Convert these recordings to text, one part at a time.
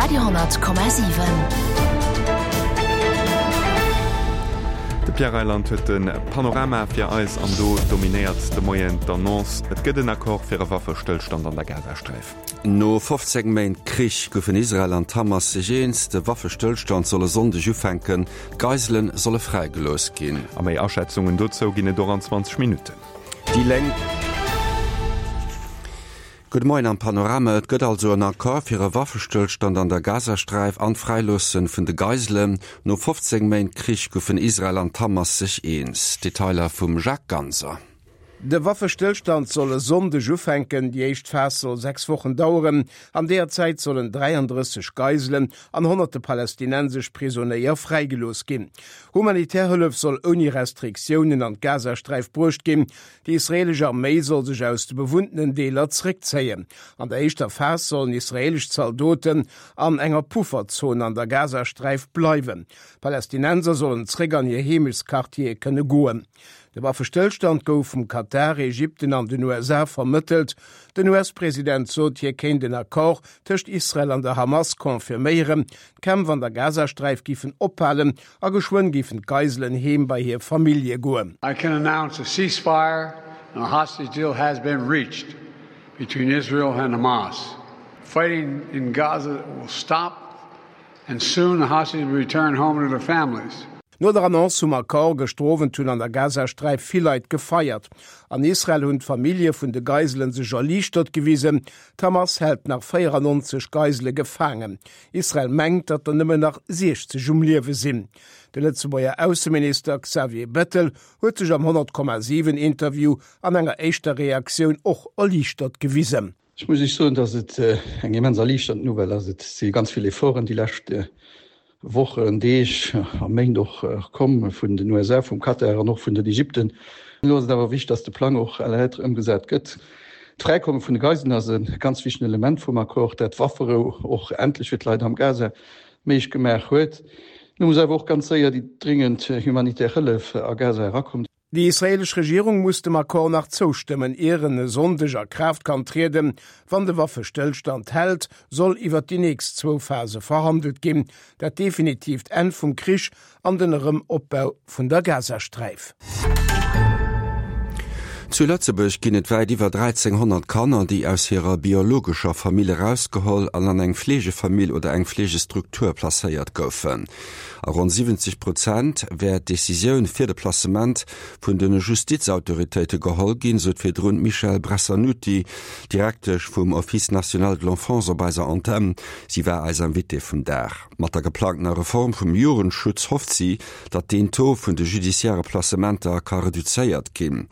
Radio,7. De Pierre Reyland huet de Panorama fir eis an do dominéiert de Moien d'Annonce, et gëtt en Accord fir e Waffestëllstand an der Gazasträif. No 15 Méint Krich goufen Israel an d'Hamas sech eens, de Waffestëllstand soll e Sonndeg ufänken, d'Geisele solle fräigelooss ginn. A méi Aschätzungen dozou ginn et och an 20 Minutten. Déi Lénk. Gudde Moien am Panorama. Et gëtt also en Accord fir e Waffestëllstand an der Gazasträif an d'Fräiloosse vun de Geiselen. No 15 Méint Krich goufen Israel an d'Hamas sech eens. Detailer vum Jacques Ganser. De Waffestëllstand soll e Sonndeg ufänken. Déi éischt Phas soll 6 Wochen daueren. An deeër Zäit sollen 33 Geiselen an honnerte palästinensesch Prisonéier fräigelooss ginn. Humanitär Hëllef soll ouni Restriktiounen an d'Gazasträif bruecht ginn. Déi israeelesch Arméi soll sech aus de bewunntenen Deeler zréckzéien. An der éischter Phas sollen israeelesch Zaldoten an enger Pufferzon an der Gazasträif bleiwen. Palästinenser sollen zréck an hir Heemechtsquartiere kënne goen. De Waffestëllstand gouf vum Katar, Ägypten an den USA vermëttelt. Den US-President sot, hie kéint en Accord tëscht Israel an der Hamas confirméieren. D'Kämpf an der Gazasträif giffen ophalen a geschwënn géifen d'Geiselen heem bei hir Famillje goen. I can announce a ceasefire and a hostage deal has been reached between Israel and Hamas. Fighting in Gaza will stop and soon the hostages will return home to their families. No der Annonce vum Accord gëschter Owend hunn an der Gazasträif vill Leit gefeiert. An Israel hunn d'Famillje vun de Geiselen sech erliichtert gewisen. D'Hamas hält nach 94 Geisele gefaangen. Israel mengt, datt der nëmmen nach 60 um Liewe sinn. De Lëtzebuerger Ausseminister Xavier Bettel huet sech am 100,7 Interview an enger éischter Reaktioun och erliichtert gewisen. Ech muss Iech soen, datt et eng immens erliichternd Nouvelle ass. Et si ganz vill Efforten déi lescht Wochen, Deeg a Méint och komm vun den USA, vum Katar an och vun den Ägypten. Elo ass et awer wichteg, datt de Plang och à la lettre ëmgesat gëtt. D'Fräikomme vun de Geiselen ass e ganz wichtegen Element vum Accord, dat d'Wafferou och endlech fir d'Leit am Gaza méiglech gemaach huet. Elo muss awer och ganz séier déi dringend humanitär Hëllef a Gaza erakommen. Déi israeelesch Regierung muss dem Accord nach zoustëmmen, ier en e Sonndeg a Kraaft kann trieden. Wann de Waffestëllstand hält, soll iwwer déi nächst zwou Phase verhandelt ginn, dat definitiivt Enn vum Krich an den Erëm-Opbau vun der Gazasträif. Zu Lëtzebuerg ginn et wäit iwwer 1.300 Kanner, déi aus hirer biologescher Famill erausgeholl an an eng Fleegefamill oder eng Fleegestruktur placéiert goufen. A ronn 70 Prozent wär d'Decisioun fir de Placement vun de Justizautoritéite geholl ginn, sot virdrun d'Michèle Bressannuti, Direktesch vum Office national de l'enfance op eiser Antenn. Si war eis Invitée vum Dag. Mat der geplangtener Reform vum Jugendschutz hofft si, datt deen Taux vun de judiciaire Placementer ka reduzéiert ginn.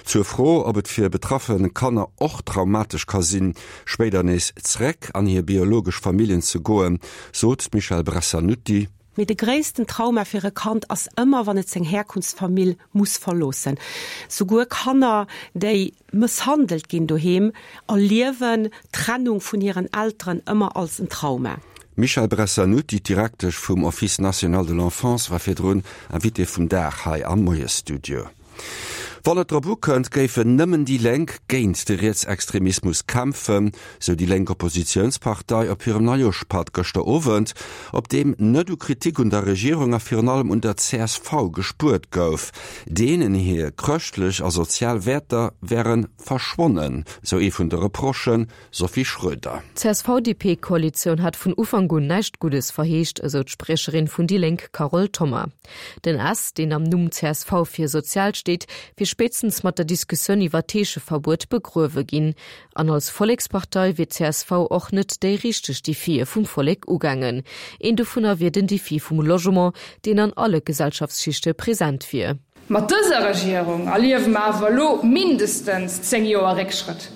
Zur Fro, ob et fir betraffe Kanner och traumatesch ka sinn, spéider nees zréck an hir biologesch Familljen ze goen, sot d'Michèle Bressannuti. Mee de gréissten Trauma fir e Kand ass ëmmer, wann et seng Herkunftsfamill muss verloossen. Souguer Kanner, déi mësshandelt ginn doheem, erliewen d'Trennung vun hiren Elteren ëmmer als en Trauma. D'Michèle Bressannuti, d'Direktesch vum Office national de l'enfance, war virdrun Invitée vum Dag hei am Moiesstudio. Wann et drop ukënnt, géifen nëmmen déi Lénk géint de Rietsextremismus kämpfen, sou déi lénk Oppositiounspartei op hirem Neijoerschpatt gëschter Owend, op deem net u Kritik un der Regierung a virun allem un der csv gespuert gouf. Deenen hir chrëschtlech a sozial Wäerter wäre verschwonnen, sou ee vun de Reprochen, Sophie Schröder. D'CSV-DP-Koalitioun hat vun Ufank un näischt Guddes verheescht, esou d'Spriecherin vun déi Lénk Carole Thoma. Den S, deen am Numm csv fir sozial steet, wier spéitstens mat der Diskussioun iwwer d'Heescheverbuet begruewe ginn. An als Vollekspartei wier csv och net déi richteg Defië vum Vollek ugaangen. Een dovunner wier den Defi vum Logement, deen an alle Gesellschaftsschichte present wier. Mat dëser Regierung erliewe mer awer elo mindestens 10 Joer Réckschrëtt.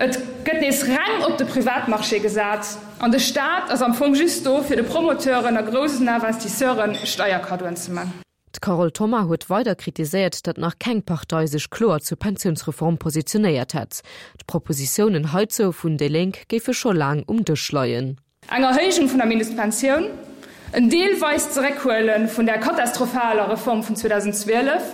Et gëtt nees reng op de Privatmarché gesat an de Staat ass am Fong just do, fir de Promoteuren a groussen Investisseure Steierkaddoen ze man. D'Carole Thoma huet weider kritiséiert, datt nach keng Partei sech kloer zur Pensiounsreform positionéiert hätt. D'Propositiounen heizou vun déi Lénk géife scho laang um Dësch leien. Eng Erhéijung vun der Mindestpensioun, en deelweist Zeréckhuele vun där katastrophaler Reform vun 2012,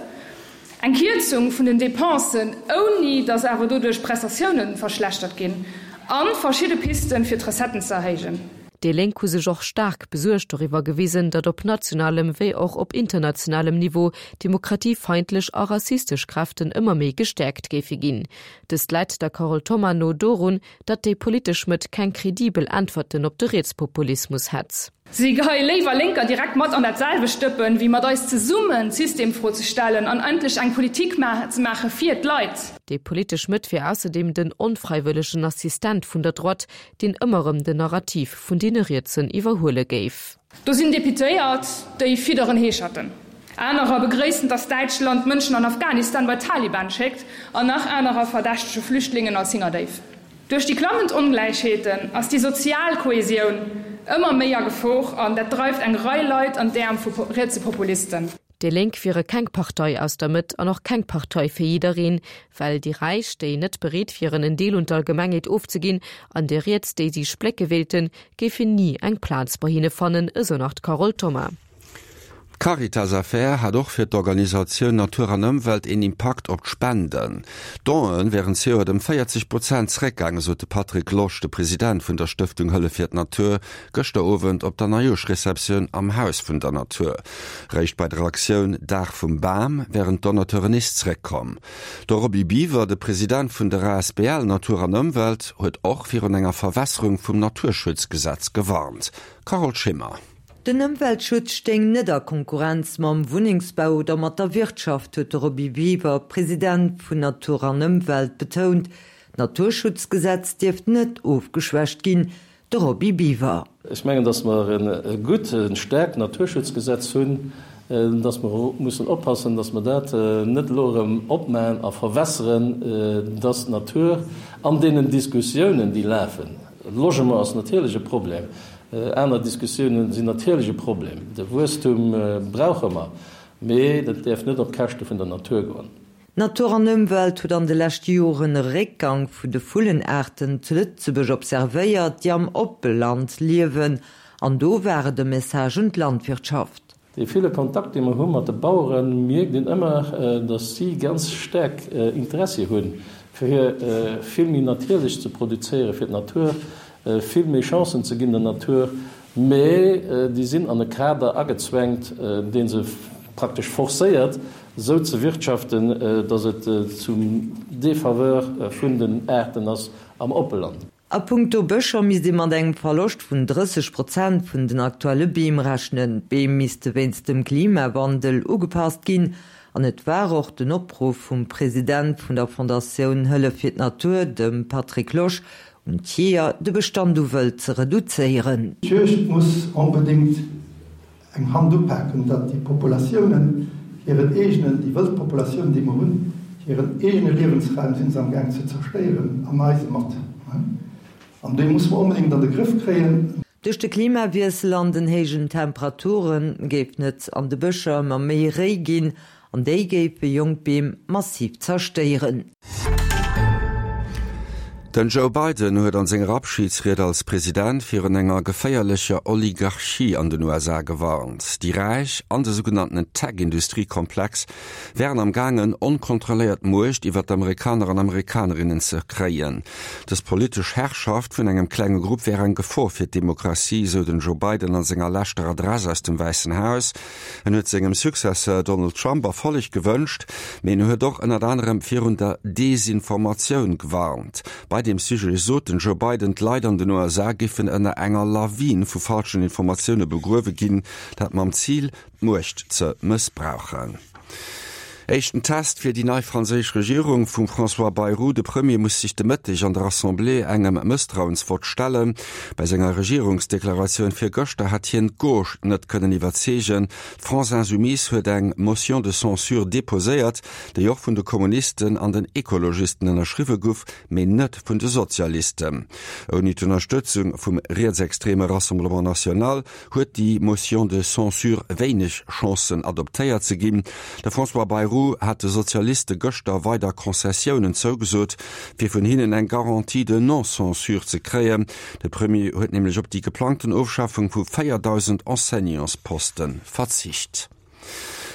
eng Kierzung vun den Dépensen, ouni datt awer doduerch d'Prestatiounen verschlechtert ginn, a verschidde Pisten, fir d'Recetten ze erhéijen. Déi Lénk hu sech och staark besuergt doriwwer gewisen, datt op nationalem wéi och op internationalem Niveau demokratiefeindlech a rassistesch Kräften ëmmer méi gestäerkt géife ginn. Dëst läit der Carole Thoma no dorun, datt déi politesch Mëtt keng kredibel Äntwerten op de Rietspopulismus hätt. Si geheie léiwer Lénker direkt mat an dat selwecht Dëppen, wéi mat eis zesummen d'Systemfro ze stellen an endlech eng Politik ze maache fir d'Leit. Déi politesch Mëtt wier ausserdeem den onfräiwëllegen Assistent vun der Droite, deen ëmmer erëm den Narrativ vun deene Rietsen iwwerhuele géif. Do sinn Deputéiert, déi fidderen Heescherten. Anerer begréissen, datt Däitschland Mënschen an Afghanistan bei d'Taliban schéckt an nach anerer verdächtege Flüchtlingen als Hingerdéif. Duerch déi klammend Ongläichheeten ass déi sozial Kohesioun ëmmer méi a Gefor an dat dreift eng Rei Leit an d'Äerm vu rietse Populisten. Déi Lénk wiere keng Partei aus der Mëtt an och keng Partei fir jiddereen, well déi Räich, déi net bereet wieren en Deel un d'Allgemengheet ofzeginn, an déi Riets, déi si splécke wéilten, géifen ni eng Plaz bei hinne fannen, esou nach d'Carole Thoma. D'Caritas-Affär hat och fir d'Organisatioun Natur an Ëmwelt een Impakt op d'Spenden. D'Done wären zejoert ëm 40 Prozent zeréckgaangen, sot de Patrick Losch, de President vun der Stëftung Hëllef fir d'Natur, gëschter Owend op der Neijooschreceptioun am Haus vun der Natur. Réischt bei der Aktioun Dag vum Bam wären d'Donateuren nees zréckkomm. De Roby Biwer, de President vun der asbl Natur an Ëmwelt, huet och virun enger Verwässerung vum Naturschutzgesetz gewarnt. Carole Schimmer. Den Ëmweltschutz stéing net a Konkurrenz mam Wunnengsbau oder mat der Wirtschaft, huet de Roby Biwer, President vun Natur an Ëmwelt, betount. D'Naturschutzgesetz dierft net ofgeschwächt ginn, De Roby Biwer. Ech mengen, datt mer e gutt, e staarkt Naturschutzgesetz hunn, datt mer mussen oppassen, datt mer dat net elo erëm opmaen a verwässeren, datt d'Natur an deenen Diskussiounen, déi lafen, Logement ass natierlech e Problem, aner Diskussiounen sinn natierlech e Problem, de Wuesstum brauche mer, mee dat däerf net op Käschte vun der Natur goen. Natur an Ëmwelt huet an de leschte Joren e Réckgang vun de Vullenaarten zu Lëtzebuerg observéiert, déi am Oppeland liewen. An do war et e Message un d'Landwirtschaft. Dee ville Kontakt, dee mer hu mat de Baueren, mierkt een ëmmer, datt si ganz staark Interessi hunn, fir vill méi natierlech ze produzéieren, fir d'Natur vill méi Chancen ze ginn, der Natur. Mee déi sinn an e Kader agezwängt, dee se praktesch forcéiert, esou ze wirtschaften, datt et zum Défaveur vun den Aarten ass am Oppeland. A punkto Bëscher misst ee mat engem Verloscht vun 30 Prozent vun den aktuelle Beem rechnen. D'Beem misste wéinst dem Klimawandel ugepasst ginn. An et war och den Opruff vum President vun der Fondatioun Hëllef fir d'Natur, dem Patrick Losch, un d'Jeeër, de Bestand u Wëld ze reduzéieren. D'Juegd muss onbedéngt eng Hand upaken, datt déi Populatiounen hiren eegenen, déi wëld Populatioun, déi mer hunn, hiren eegene Liewensraum si se am Gaang ze zerstéieren, an eise mat. An dee musse mer onbedéngt an de Grëff kréien. Duerch de Klimawiessel an den héijen Temperature géifen et an de Bëscher ëmmer méi Réi ginn An déi géife jonk Beem massiv zerstéieren. Den Joe Biden huet an senger Abschidsried als President virun enger geféierlecher Oligarchie an den USA gewarnt. Déi Räich an de sougenannten Tech-Industrie-Komplex wären am gaangen, onkontrolléiert Muecht iwwer d'Amerikaner an Amerikanerinnen ze kréien. Dës politesch Herrschaft vun engem klenge Grupp wär eng Gefor fir d'Demokratie, sou den Joe Biden an senger leschter Adress aus dem Wäissen Haus. En huet sengem Successeur Donald Trump Erfolleg gewënscht, mee en huet och ënnert anerem virun der Desinformatioun gewarnt. Bei deem Sujet sot den Joe Biden, d'Leit an den USA géifen ënner enger Lawin vu falschen Informatioune begruewe ginn, dat mam Zil, d'Muecht ze mëssbrauchen. Éischten Test fir déi nei franséisch Regierung vum François Bayrou. De Premier muss sech de Mëtteg an der Assemblée engem Mësstrauensvott stellen. Bei senger Regierungsdeklaratioun virgëschter hat hien d'Gauche net kënnen iwwerzeegen. D'France Insoumise huet eng Motion de censure deposéiert, déi och vun de Kommunisten an den Ekologisten ënnerschriwwe guff, mee net vun de Sozialisten. Ouni d'Ënnerstëtzung vum rietsextreme Rassemblement National huet déi Motion de censure wéineg Chancen adoptéiert ze ginn. De François Bayrou hat de Sozialiste gëschter weider Concessiounen zougesot, fir vun hinnen eng Garantie de non-censure ze kréien. De Premier huet nämlech op déi geplangten Ofschafung vu 4.000 Enseignantsposte verzicht.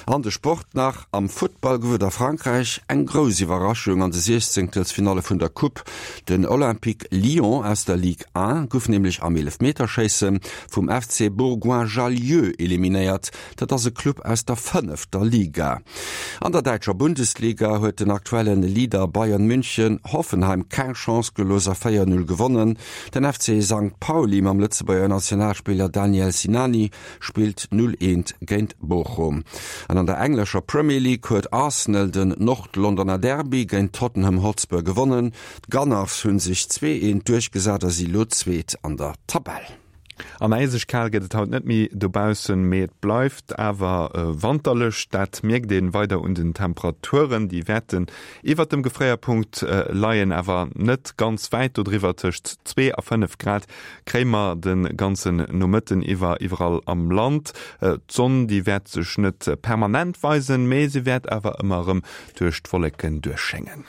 An de Sport nach, Am Futtball gouf et a Frankräich eng grouss Iwwerraschung an de Siechzéngtelsfinalle vun der Coupe. Den Olympique Lyon aus der Ligue 1 gouf nämlech am Eelefmeterschéisse vum FC Bourgoin-Jallieu eliminéiert. Dat ass e Club aus der fënnefter Liga. An der däitscher Bundesliga huet den aktuelle Leader Bayern München Hoffenheim keng Chance gelooss a 4, 0 gewonnen. Den FC Sankt Pauli mam Lëtzebuerger Nationalspiller Daniel Sinani spillt 0, 1 géint Bochum. An an der englescher Premier League huet Arsenal den Nord-Londoner Derby géint Tottenham Hotspur gewonnen. D'Gunners hu sech 2, 1 duerchgesat a si lo Zweet an der Tabell. An äiseg kal gëtt et haut net méi dobaussen, mee et bleift awer wanterlech. Dat mierkt een weider un den Temperaturen, déi wäerten iwwert dem Gefréierpunkt leien, awer net ganz wäit dodriwwer. Tëscht 2 a 5 Grad kréie mer de ganzen Nomëtten iwwer iwwerall am Land. D'Sonn, déi wäert sech net permanent weisen, mee se wäert awer ëmmer erëm duerch d'Wolleken duerchschéngen.